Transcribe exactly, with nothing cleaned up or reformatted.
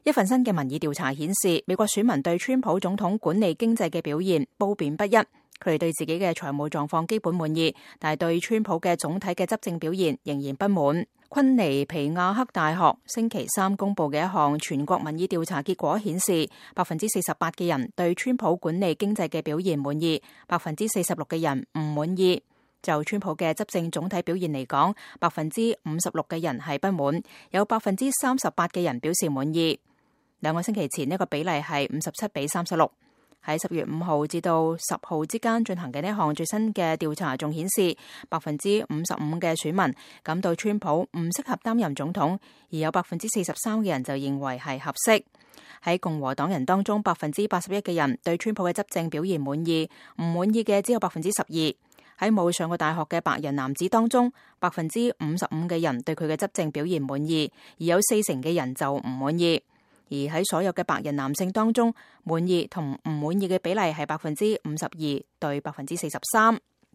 一份新嘅民意調查顯示，美國選民對川普總統管理經濟嘅表現褒貶不一。佢哋對自己嘅財務狀況基本滿意，但係對川普嘅總體嘅執政表現仍然不滿。昆尼皮亞克大學星期三公布嘅一項全國民意調查結果顯示，百分之四十八嘅人對川普管理經濟嘅表現滿意，百分之四十六嘅人唔滿意。就川普嘅執政總體表現嚟講，百分之五十六嘅人係不滿，有百分之三十八嘅人表示滿意。兩個星期前呢個比例係五十七比三十六。喺十月五號至到十號之間進行嘅呢項最新嘅調查仲顯示，百分之五十五嘅選民感到川普唔適合擔任總統，而有百分之四十三嘅人就認為係合適。喺共和黨人當中，百分之八十一嘅人對川普嘅執政表現滿意，唔滿意嘅只有百分之十二。喺冇上過大學嘅白人男子當中，百分之五十五嘅人對佢嘅執政表現滿意，而有四成嘅人就唔滿意。而喺所有嘅白人男性當中，滿意同唔滿意嘅比例係百分之五十二對百分之四十三。